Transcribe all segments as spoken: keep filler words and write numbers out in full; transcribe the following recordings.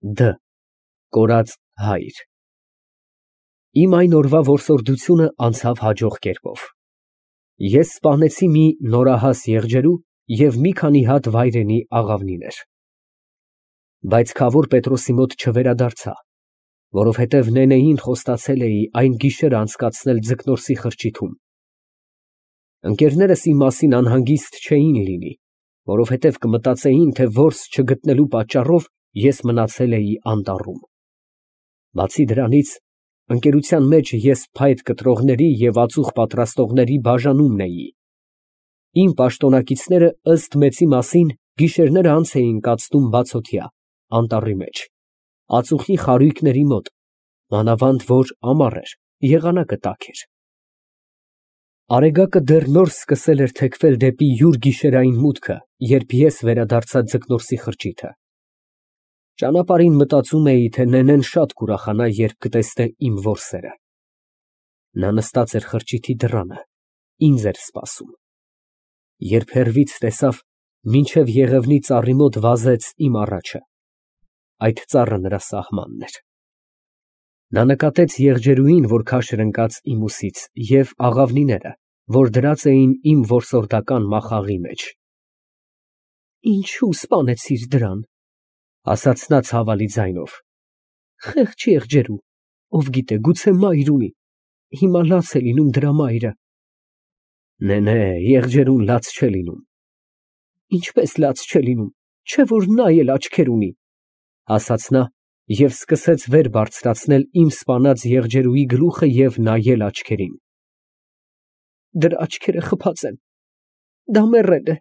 Դ Կորած հայր։ Իմ այն օրվա որսորդությունը անցավ հաջող կերպով։ Ես սպանեցի մի նորահաս եղջերու և մի քանի հատ վայրենի աղավնիներ։ Բայց քավոր Պետրոսի մոտ չվերադարձա, որովհետև Նենեին խոստացել էի այն գիշերը անցկացնել Ձկնորսի խրճիթում։ Ընկերներս իմ մասին անհանգիստ չէին լինի, որովհետև կմտածեին, թե որս չգտնելու պատճառով ես մնացել էի անտառում։ Բացի դրանից, ընկերության մեջ ես փայտ կտրողների և ածուխ պատրաստողների բաժանումն էի։ Իմ պաշտոնակիցները ըստ մեծի մասին գիշերները անց էին կացնում բացօթյա, անտառի մեջ, ածուխի խարույկների մոտ, մանավանդ որ ամառ էր, եղանակը տաք էր։ Արեգակը դեռ նոր սկսել էր թեքվել դեպի յուր գիշերային մուտքը, երբ ես վերադարձա Ձկնորսի խրճիթը։ Ճանապարհին մտածում էի, թե Նենեն շատ կուրախանա, երբ կտեսնե իմ որսերը։ Նա նստած էր խրճիթի դռանը, ինձ էր սպասում։ Երբ հեռվից տեսավ, մինչև եղևնի ծառի մոտ վազեց իմ առաջը։ Այդ ծառը նրա սահմանն էր։ Նա նկատեց եղջերուին, որ քաշ էր ընկած իմ ուսից, և աղավնիները, որ դրած էին իմ որսորդական մախաղի մեջ։ Ինչո՞ւ սպանեցիր դրան, ասաց նա ցավալի ձայնով։ Խեղճ եղջերու, ով գիտե, գուցե մայր ունի, հիմա լաց է լինում դրա մայրը։ Նենե, եղջերուն լաց չէ լինում։ Ինչպես լաց չէ լինում, չէ որ նա էլ աչքեր ունի, ասաց նա և սկսեց վեր բարձրացնել իմ սպանած եղջերուի գլուխը և նայել աչքերին։ Դրա աչքերը խփած են, դա մեռել է,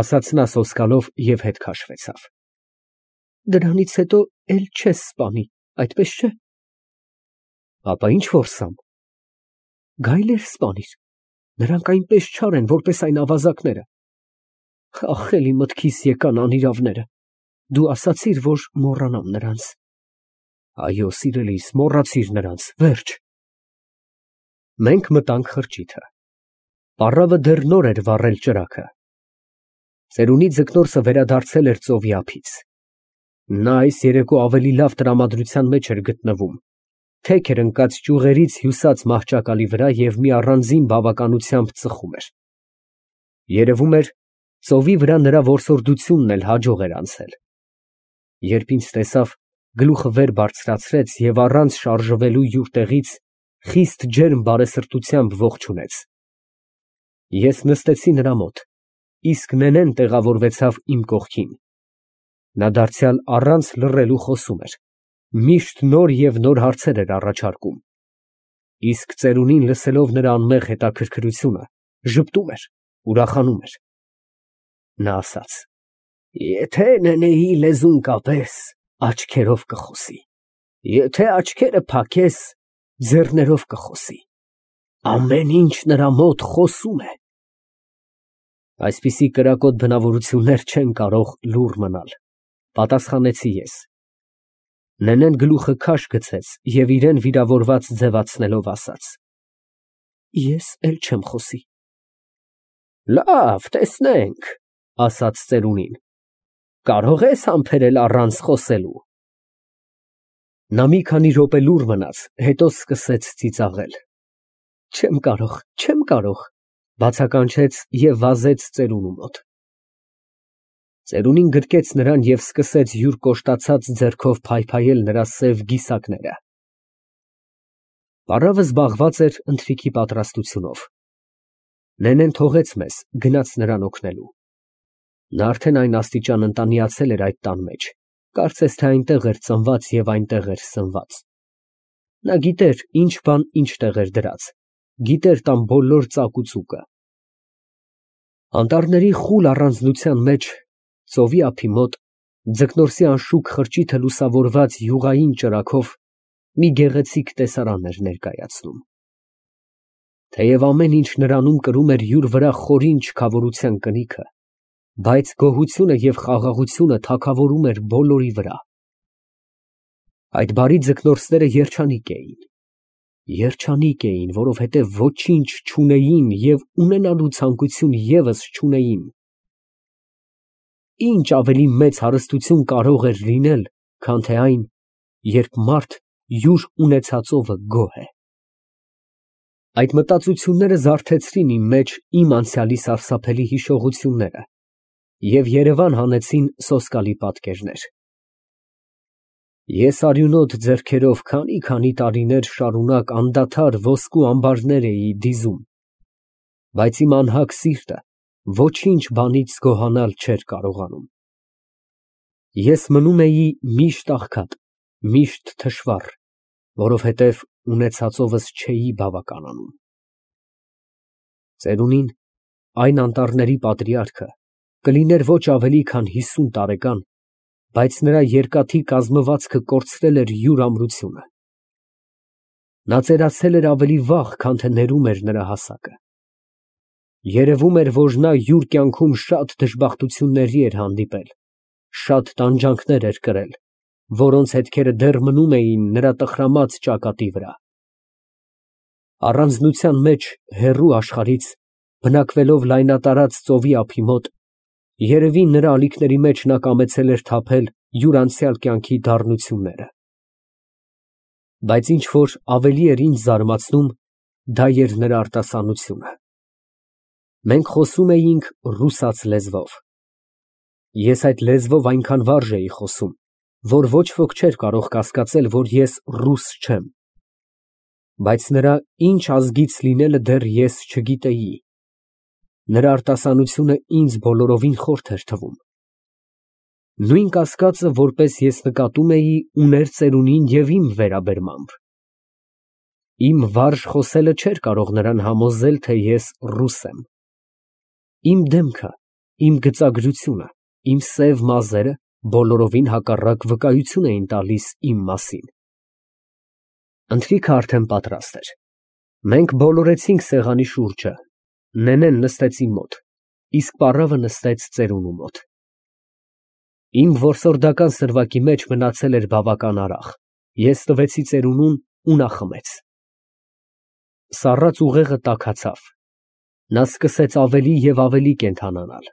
ասաց նա սոսկալով և հետ քաշվեցավ։ Դրանից հետո էլ չես սպանի, այդպես չէ։ Ապա ինչ որսամ։ Գայլեր սպանիր, նրանք այնպես չար են, որպես այն ավազակները։ Ախ, էլի մտքիս եկան անիրավները, դու ասացիր, որ մոռանամ նրանց։ Այո, սիրելիս, մոռացիր նրանց, վերջ։ Մենք մտանք խրճիթը։ Պառավը դեռ նոր էր վառել ճրագը։ Ծերունի Ձկնորսը վերադարձել էր ծովի ափից։ Նա այս երեկո ավելի լավ տրամադրության մեջ էր գտնվում, թեք էր ընկած ճյուղերից հյուսած մահճակալի վրա և մի առանձին բավականությամբ ծխում էր։ Երևում էր, ծովի վրա նրա որսորդությունն էլ հաջող էր անցել։ Երբ ինձ տեսավ, գլուխը վեր բարձրացրեց և առանց շարժվելու յուր տեղից խիստ ջերմ բարեսրտությամբ ողջունեց։ Ես նստեցի նրա մոտ, իսկ Նենեն տեղավորվեցավ իմ կողքին։ Նա դարձյալ առանց լռելու խոսում էր, միշտ նոր և նոր հարցեր էր առաջարկում։ Իսկ ծերունին լսելով նրա անմեղ հետաքրքրությունը, ժպտում էր, ուրախանում էր։ Նա ասաց. Եթե Նենեի լեզուն կապես, աչքերով կխոսի, եթե աչքերը փակես, ձեռներով կխոսի, ամեն ինչ նրա մոտ խոսում է։ Այսպիսի կրակոտ բնավորություններ չեն կարող լուռ մնալ, պատասխանեցի ես։ Նենեն գլուխը քաշ գցեց և իրան վիրավորված ձևացնելով ասաց. Ես էլ չեմ խոսի։ Լավ, տեսնենք, ասաց ծերունին, կարող ես համբերել առանց խոսելու։ Նա մի քանի րոպե լուռ մնաց, հետո սկսեց ծիծաղել։ Չեմ կարող, չեմ կարող, բացականչեց և վազեց ծերունու մոտ։ Ծերունին գրկեց նրան և սկսեց յուր կոշտացած ձեռքով փայփայել նրա սև գիսակները։ Պառավը զբաղված էր ընթրիքի պատրաստությունով։ Նենեն թողեց մեզ, գնաց նրան օգնելու։ Նա արդեն այն աստիճան ընտանիացել էր այդ տան մեջ, կարծես թե այնտեղ էր ծնված և այնտեղ էր սնված։ Նա գիտեր ինչ բան ինչտեղ էր դրած, գիտեր տան բոլոր ծակ ու ծուկը։ Անտառների խուլ առանձնության մեջ, ծովի ափի մոտ, Ձկնորսի անշուք խրճիթը լուսավորված յուղային ճրագով մի գեղեցիկ տեսարան էր ներկայացնում։ Թեև ամեն ինչ նրանում կրում էր յուր վրա խորին չքավորության կնիքը, բայց գոհությունը և խաղաղությունը թագավորում էր բոլորի վրա։ Այդ բարի ձկնորսները երջանիկ էին։ Երջանիկ էին, որովհետև ոչինչ չունեին և ունենալու ցանկություն ևս չունեին։ Ինչ ավելի մեծ հարստություն կարող էր լինել, քան թե այն, երբ մարդ յուր ունեցածովը գոհ է։ Այդ մտածությունները զարթեցրին իմ մեջ իմ անցյալի սարսափելի հիշողությունները և երևան հանեցին սոսկալի պատկերներ։ Ես արյունոտ ձեռքերով քանի֊քանի տարիներ շարունակ անդադար ոսկու ամբարներ էի դիզում, բայց իմ անհագ սիրտը ոչինչ բանից գոհանալ չէր կարողանում։ Ես մնում էի միշտ աղքատ, միշտ թշվառ, որովհետև ունեցածովս չէի բավականանում։ Ծերունին, այն անտառների պատրիարքը, կլիներ ոչ ավելի քան հիսուն տարեկան, բայց նրա երկաթի կազմվածքը կորցրել էր յուր ամրությունը։ Նա ծերացել էր ավելի վաղ, քան թե ներում էր նրա հասակը։ Երևում էր, որ նա յուր կյանքում շատ դժբախտությունների էր հանդիպել, շատ տանջանքներ էր կրել, որոնց հետքերը դեռ մնում էին նրա տխրամած ճակատի վրա։ Առանձնության մեջ, հեռու աշխարհից, բնակվելով լայնատարած ծովի ափի մոտ, երևի նրա ալիքների մեջ նա կամեցել էր թափել յուր անցյալ կյանքի դառնությունները։ Բայց ինչ որ ավելի էր ինձ զարմացնում, դա էր նրա արտասանությունը։ Մենք խոսում էինք ռուսաց լեզվով։ Ես այդ լեզվով այնքան վարժ էի խոսում, որ ոչ ոք չէր կարող կասկածել, որ ես ռուս չեմ։ Բայց նրա ինչ ազգից լինելը դեռ ես չգիտեի։ Նրա արտասանությունը ինձ բոլորովին խորթ էր թվում։ Նույն կասկածը, որպես ես նկատում էի, ուներ ծերունին և իմ վերաբերմամբ։ Իմ վարժ խոսելը չէր կարող նրան համոզել, թե ես ռուս եմ։ Իմ դեմքը, իմ գծագրությունը, իմ սև մազերը բոլորովին հակառակ վկայություն էին տալիս իմ մասին։ Ընթրիքը արդեն պատրաստ էր։ Մենք բոլորեցինք սեղանի շուրջը, նենեն նստեց իմ մոտ, իսկ պառավը նստեց ծերունու մոտ։ Իմ որսորդական սրվակի մեջ մնացել էր բավական արաղ, ես տվեցի ծերունուն ու նա խմեց։ Սառած ուղեղը տաքացավ, նա սկսեց ավելի և ավելի կենդանանալ,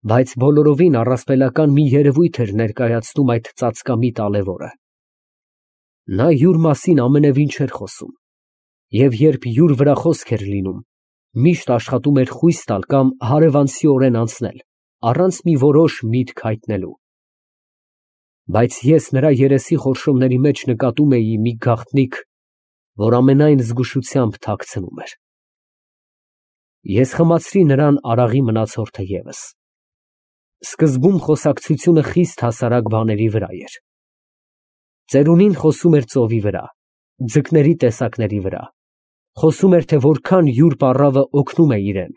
բայց բոլորովին առասպելական մի երևույթ էր ներկայացնում այդ ծածկամիտ ալեվորը։ Նա յուր մասին ամենևին չէր խոսում, և երբ յուր վրա խոսք էր լինում, միշտ աշխատում էր խույս տալ կամ հարևանցիորեն անցնել, առանց մի որոշ միտք հայտնելու։ Բայց ես նրա երեսի խորշումների մեջ նկատում էի մի գաղտնիք, որ ամենայն զգուշությամբ թաքցնում էր։ Ես խմացրի նրան արաղի մնացորդը ևս։ Սկզբում խոսակցությունը խիստ հասարակ բաների վրա էր։ Ծերունին խոսում էր ծովի վրա, ձկների տեսակների վրա, խոսում էր, թե որքան յուր պառավը օգնում է իրեն,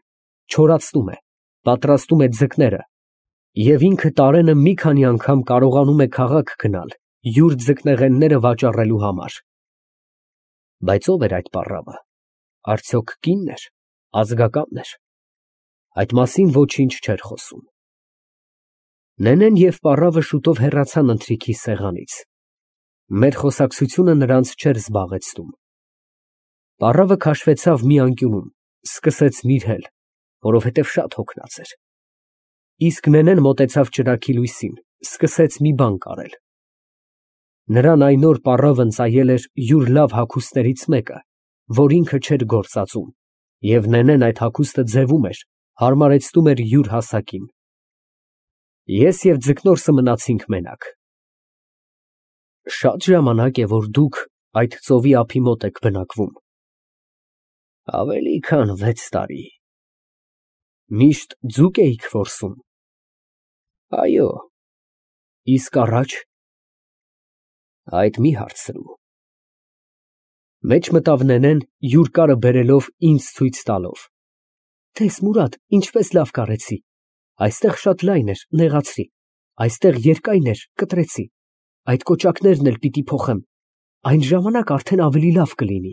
չորացնում է, պատրաստում է ձկները, և ինքը տարենը մի քանի անգամ կարողանում է քաղաք գնալ յուր ձկնեղենները վաճառելու համար։ Բայց ո՞վ էր այդ պառավը, արդյոք կինն էր, ազգակա՞նն էր։ Այդ մասին ոչինչ չէր խոսում։ Նենեն և պառավը շուտով հեռացան ընթրիքի սեղանից։ Մեր խոսակցությունը նրանց չէր զբաղեցնում։ Պառավը քաշվեցավ մի անկյունում, սկսեց նիրհել, որովհետև շատ հոգնած էր։ Իսկ նենեն մոտեցավ ճրագի լույսին, սկսեց մի բան կարել։ Նրան այն օր պառավն ծայել էր յուր լավ հագուստներից մեկը, որ ինքը չէր գործածում, և նենեն այդ հագուստը ձևում էր, հարմարեցնում էր յուր հասակին։ Ես և ձկնորսը մնացինք մենակ։ Շա՞տ ժամանակ է, որ դուք այդ ծովի ափի մոտ եք բնակվում։ Ավելի քան վեց տարի։ Միշտ ձուկ էիք որսում։ Այո։ Իսկ առաջ։ Այդ մի հարցրու։ Մեջ մտավ նենեն, յուր կարը բերելով ինձ ցույց տալով։ Տես, Մուրադ, ինչպես լավ կարեցի։ Այստեղ շատ լայն էր, նեղացրի, այստեղ երկայն էր, կտրեցի, այդ կոճակներն էլ պիտի փոխեմ, այն ժամանակ արդեն ավելի լավ կլինի։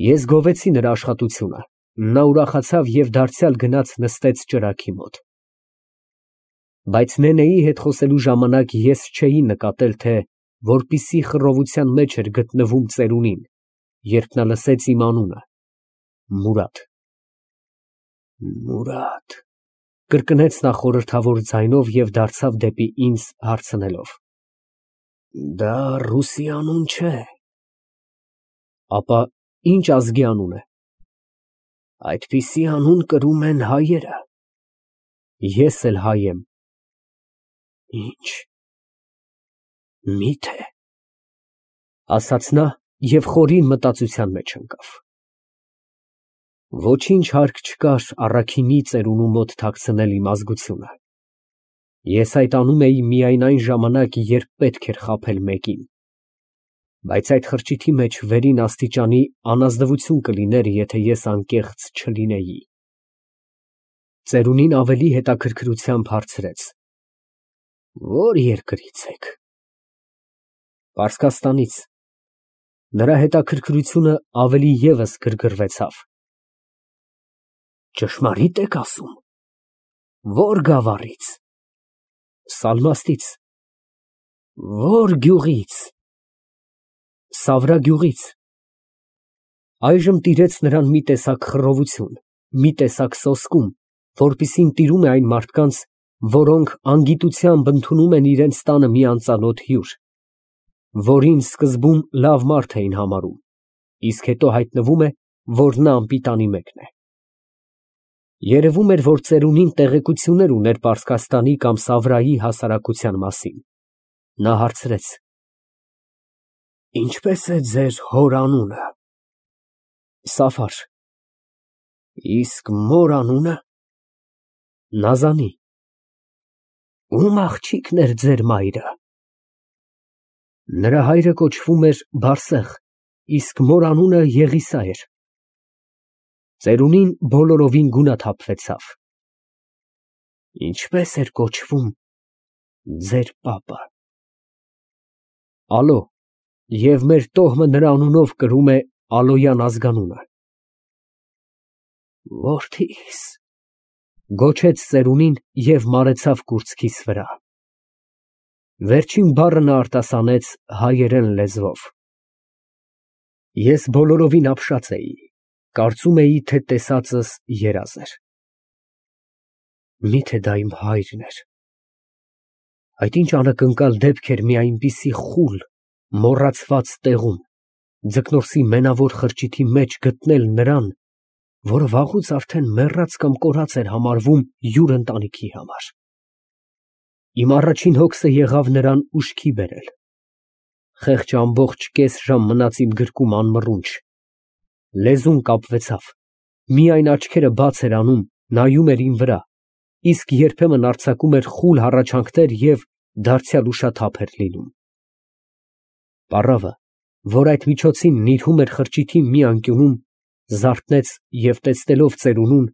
Ես գովեցի նրա աշխատությունը, նա ուրախացավ և դարձյալ գնաց նստեց ճրագի մոտ։ Բայց նենեի հետ խոսելու ժամանակ ես չէի նկատել, թե որպիսի խռովության մեջ էր գտնվում ծերունին, երբ նա լսեց իմ անունը՝ Մուրադ։ Մուրադ, կրկնեց նա խորհրդավոր ձայնով և դարձավ դեպի ինձ հարցնելով. Դա ռուսի անուն չէ։ Ապա ի՞նչ ազգի անուն է։ Այդպիսի անուն կրում են հայերը։ Ես էլ հայ եմ։ Ինչ, մի՞թե, ասաց նա և խորին մտածության մեջ ընկավ։ Ոչինչ հարկ չկար առաքինի ծերունու մոտ թաքցնել իմ ազգությունը։ Ես այդ անում էի միայն այն ժամանակ, երբ պետք էր խաբել մեկին, բայց այդ խրճիթի մեջ վերին աստիճանի անազնվություն կլիներ, եթե ես անկեղծ չլինեի։ Ծերունին ավելի հետաքրքրությամբ հարցրեց. Ո՞ր երկրից եք։ Պարսկաստանից։ Նրա հետաքրքրությունը ավելի ևս գրգռվեցավ։ Ճշմարի՞տ եք ասում։ Ո՞ր գավառից։ Սալմաստից։ Ո՞ր գյուղից։ Սավրա գյուղից։ Այժմ տիրեց նրան մի տեսակ խռովություն, մի տեսակ սոսկում, որպիսին տիրում է այն մարդկանց, որոնք անգիտությամբ ընդունում են իրենց տանը մի անծանոթ հյուր, որին սկզբում լավ մարդ էին համարում, իսկ հետո հայտնվում է, որ նա անպիտանի մեկն է։ Երևում էր, որ ծերունին տեղեկություններ ուներ Պարսկաստանի կամ Սավրայի հասարակության մասին։ Նա հարցրեց. Ինչպե՞ս է ձեր հոր անունը։ Սաֆար։ Իսկ մոր անունը։ Նազանի։ Ո՞ւմ աղջիկն էր ձեր մայրը։ Նրա հայրը կոչվում էր Բարսեղ, իսկ մոր անունը Եղիսա էր։ Ծերունին բոլորովին գունաթափվեցավ։ Ինչպե՞ս էր կոչվում ձեր պապը։ Ալո, և մեր տոհմը նրա անունով կրում է Ալոյան ազգանունը։ Որդիս, գոչեց ծերունին և մարեցավ կուրծքիս վրա։ Վերջին բառը նա արտասանեց հայերեն լեզվով։ Ես բոլորովին ապշած էի, կարծում էի, թե տեսածս երազ էր։ Մի՞թե դա իմ հայրն էր։ Այդ ինչ անակնկալ դեպք էր մի այնպիսի խուլ, մոռացված տեղում, ձկնորսի մենավոր խրճիթի մեջ գտնել նրան, որը վաղուց արդեն մեռած կամ կորած էր համարվում յուր ընտանիքի համար։ Իմ առաջին հոգսը եղավ նրան ուշքի բերել։ Խեղճը ամբողջ կես ժամ մնաց իմ գրկում անմռունչ։ Լեզուն կապվեցավ, միայն աչքերը բաց էր անում, նայում էր իմ վրա, իսկ երբեմն արձակում էր խուլ հառաչանքներ և դարձյալ ուշաթափ էր լինում։ Պառավը, որ այդ միջոցին նիրհում էր խրճիթի մի անկյունում, զարթնեց և տեսնելով ծերունուն,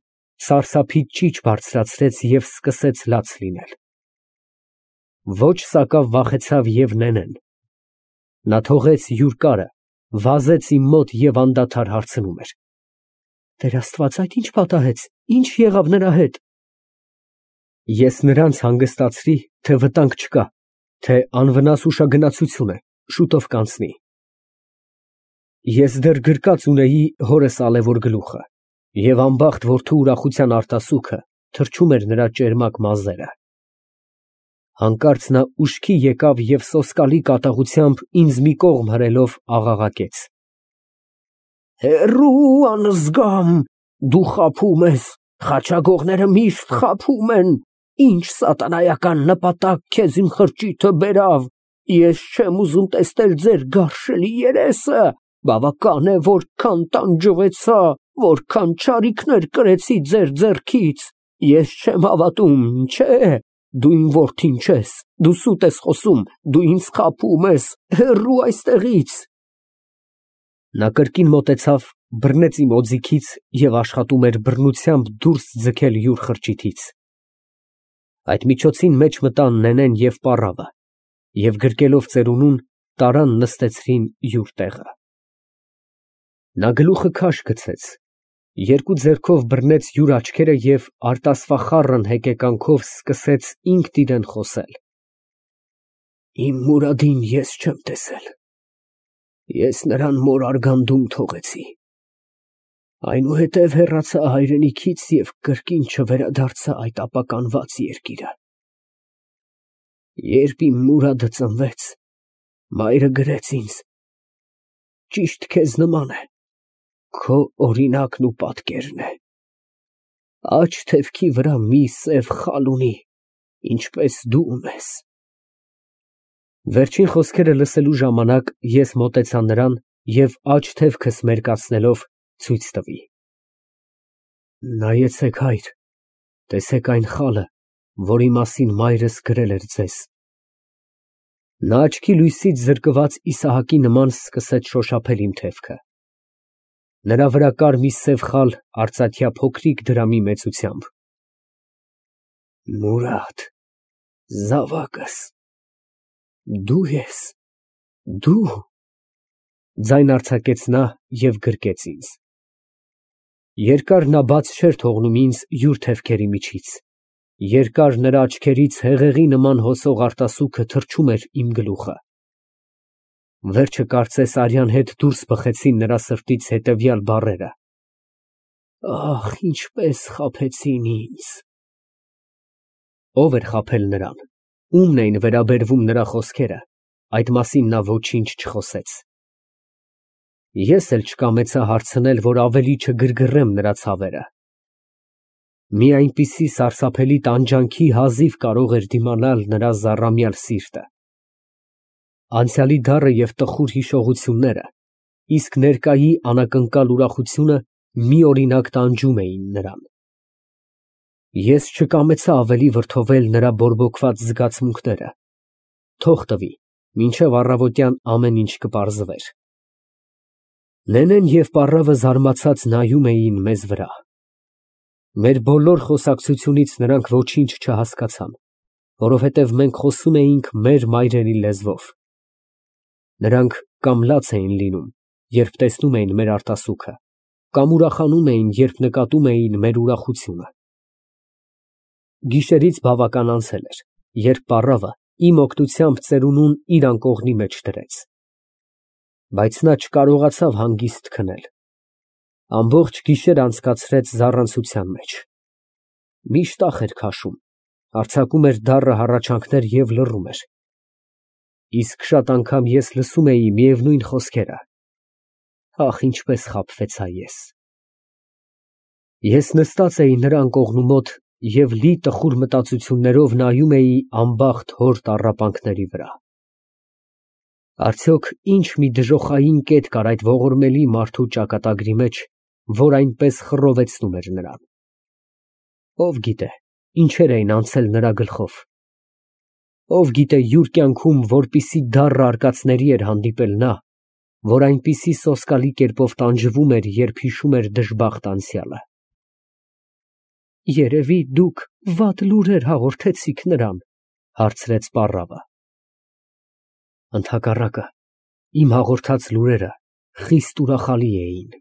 սարսափից ճիչ բարձրացրեց և սկսեց լաց լինել։ Ոչ սակավ վախեցավ և նենեն։ Նա թողեց յուր կարը, վազեց իմ մոտ և անդադար հարցնում էր. Տեր Աստված, այդ ի՞նչ պատահեց, ի՞նչ եղավ նրա հետ։ Ես նրանց հանգստացրի, թե վտանգ չկա, թե անվնաս ուշագնացություն է, շուտով կանցնի։ Ես դեռ գրկած ունեի հորս ալևոր գլուխը, և անբախտ որդու ուրախության արտասուքը թրջում էր նրա ճերմակ մազերը։ Հանկարծ նա ուշքի եկավ և սոսկալի կատաղությամբ ինձ մի կողմ հրելով աղաղակեց. Հեռո՛ւ, անզգամ, դու խաբում ես, խաչագողները միշտ խաբում են, ինչ սատանայական նպատակ քեզ իմ խրճիթը բերավ, ես չեմ ուզում տեսնել ձեր գարշելի երեսը, բավական է, որքան տանջվեցա, որքան չարիքներ կրեցի ձեր ձեռքից, ես չեմ հավատում, չէ, դու իմ որդին չես, դու սուտ ես խոսում, դու ինձ խաբում ես, հեռու այստեղից։ Նա կրկին մոտեցավ, բռնեց իմ օձիքից և աշխատում էր բռնությամբ դուրս ձգել յուր խրճիթից։ Այդ միջոցին մեջ մտան նենեն և պառավը և գրկելով ծերունուն, տարան նստեցրին յուր տեղը։ Նա գլուխը քաշ գցեց, երկու ձեռքով բռնեց յուր աչքերը և արտասվախառն հեկեկանքով սկսեց ինքն իրան խոսել. Իմ Մուրադին ես չեմ տեսել, ես նրան մոր արգանդում թողեցի, Այնուհետև հեռացա հայրենիքից և կրկին չվերադարձա այդ ապականված երկիրը։ Երբ իմ Մուրադը ծնվեց, մայրը գրեց ինձ. ճիշտ քեզ նման է, քո օրինակն ու պատկերն է, աջ թևքի վրա մի սև խալ ունի, ինչպես դու ունես։ Վերջին խոսքերը լսելու ժամանակ ես մոտեցա նրան և աջ թևքս մերկացնելով ցույց տվի. Նայեցեք, հայր, տեսեք այն խալը, որի մասին մայրս գրել էր ձեզ։ Նա աչքի լույսից զրկված Իսահակի նման սկսեց շոշափել իմ թևքը։ Նրա վրա կար մի սև խալ արծաթյա փոքրիկ դրամի մեծությամբ։ Մուրադ, զավակս, դու ես, դու… ձայն արձակեց նա և գրկեց ինձ։ Երկար նա բաց չէր թողնում ինձ յուր թևքերի միջից, երկար նրա աչքերից հեղեղի նման հոսող արտասուքը թռչում էր իմ գլուխը։ Վերջը կարծես արյան հետ դուրս բխեցին նրա սրտից հետևյալ բառերը. «Ախ, ինչպես խաբեցին ինձ»։ Ո՞վ էր խաբել նրան, ումն էին վերաբերվում նրա խոսքերը, այդ մասին նա ոչինչ չխոսեց։ Ես էլ չկամեցա հարցնել, որ ավելի չգրգռեմ նրա ցավերը։ Մի այնպիսի սարսափելի տանջանքի հազիվ կարող էր դիմանալ նրա զառամյալ սիրտը։ Անցյալի դառը և տխուր հիշողությունները, իսկ ներկայի անակնկալ ուրախությունը միօրինակ տանջում էին նրան։ Ես չկամեցա ավելի վրդովել նրա բորբոքված զգացմունքները, թող տվի, մինչև առավոտյան ամեն ինչ կպարզվեր։ Նենեն և պառավը զարմացած նայում էին մեզ վրա։ Մեր բոլոր խոսակցությունից նրանք ոչինչ չհասկացան, որովհետև մենք խոսում էինք մեր մայրենի լեզվով։ Նրանք կամ լաց էին լինում, երբ տեսնում էին մեր արտասուքը, կամ ուրախանում էին, երբ նկատում էին մեր ուրախությունը։ Գիշերից բավական անցել էր, երբ պառավը իմ օգնությամբ ծերունուն իր անկողնի մեջ դրեց։ Բայց նա չկարողացավ հանգիստ քնել։ Ամբողջ գիշեր անցկացրեց զառանցության մեջ։ Միշտ ախ էր քաշում, արձակում էր դառը հառաչանքներ և լռում էր։ Իսկ շատ անգամ ես լսում էի միևնույն խոսքերը. ախ, ինչպես խաբվեցա ես։ Ես նստած էի նրա անկողնու մոտ և լի տխուր մտածություններով նայում էի անբախտ հոր տառապանքների վրա։ Արդյոք ինչ մի դժոխային կետ կար այդ ողորմելի մարդու ճակատագրի մեջ, որ այնպես խռովեցնում էր նրան։ Ով գիտե, ինչեր էին անցել նրա գլխով։ Ով գիտե յուր կյանքում որպիսի դառը արկածների էր հանդիպել նա, որ այնպիսի սոսկալի կերպով տանջվում էր, երբ հիշում էր դժբախտ անցյալը։ Երևի դուք վատ լուրեր հաղորդեցիք նրան, հարցրեց պառավը։ Ընդհակառակը, իմ հաղորդած լուրերը խիստ ուրախալի էին։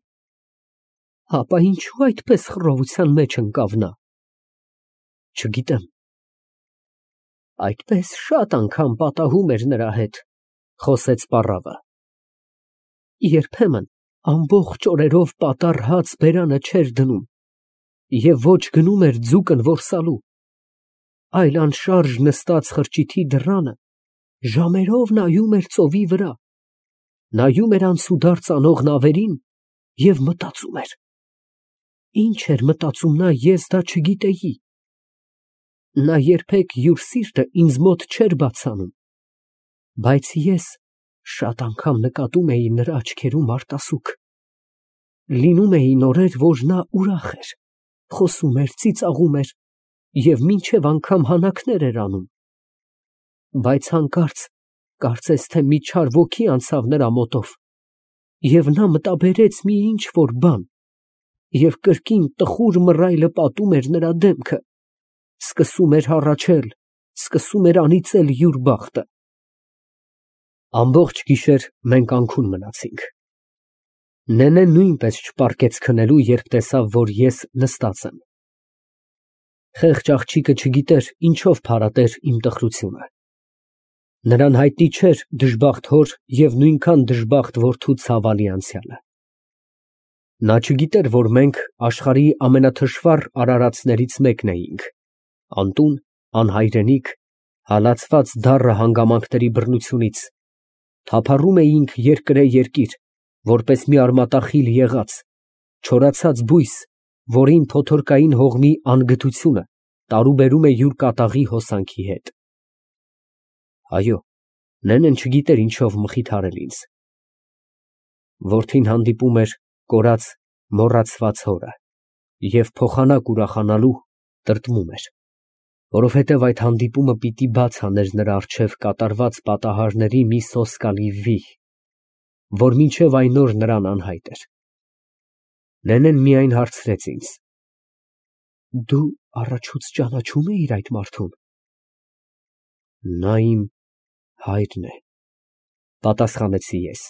Հապա ինչու այդպես խռովության մեջ ընկավ նա։ Չգիտեմ։ Այդպես շատ անգամ պատահում էր նրա հետ, խոսեց պառավը։ Երբեմն ամբողջ օրերով պատառ հաց բերանը չէր դնում և ոչ գնում էր ձուկն որսալու, այլ անշարժ նստած խրճիթի դռանը ժամերով նայում էր ծովի վրա, նայում էր անցուդարձ անող նավերին և մտածում էր։ Ինչ էր մտածում նա, ես դա չգիտեի։ Նա երբեք յուր սիրտը ինձ մոտ չէր բացանում, բայց ես շատ անգամ նկատում էի նրա աչքերում արտասուք։ Լինում էին օրեր, որ նա ուրախ էր, խոսում էր, ծիծաղում էր և մինչև անգամ հանաքներ էր անում։ Բայց հանկարծ կարծես թե մի չար ոգի անցավ նրա մոտով, և նա մտաբերեց մի ինչ֊որ բան, և կրկին տխուր մռայլը պատում էր նրա դեմքը, սկսում էր հառաչել, սկսում էր անիծել յուր բախտը։ Ամբողջ գիշեր մենք անքուն մնացինք։ Նենեն նույնպես չպառկեց քնելու, երբ տեսավ, որ ես նստած եմ։ Խեղճ աղջիկը չգիտեր ինչով փարատեր իմ տխրությունը։ Նրան հայտնի չէր դժբախտ հոր և նույնքան դժբախտ որդու ցավալի անցյալը։ Նա չգիտեր, որ մենք աշխարհի ամենաթշվառ արարածներից մեկն էինք, անտուն, անհայրենիք, հալածված դառը հանգամանքների բռնությունից, թափառում էինք երկրե որպես մի արմատախիլ եղած, չորացած բույս, որին փոթորկային հողմի անգթությունը տարուբերում է յուր կատաղի հոսանքի հետ… Այո, Նենեն չգիտեր ինչով մխիթարել ինձ… Որդին հանդիպում էր կորած, մոռացված հորը և փոխանակ ուրախանալու տրտմում էր, որովհետև այդ հանդիպումը պիտի բաց աներ նրա առջև կատարված պատահարների մի սոսկալի վիհ, որ մինչև այն օր նրան անհայտ էր… Նենեն միայն հարցրեց ինձ. «Դու առաջուց ճանաչո՞ւմ էիր այդ մարդուն»։ ֊ Նա իմ հայրն է, ֊ պատասխանեցի ես։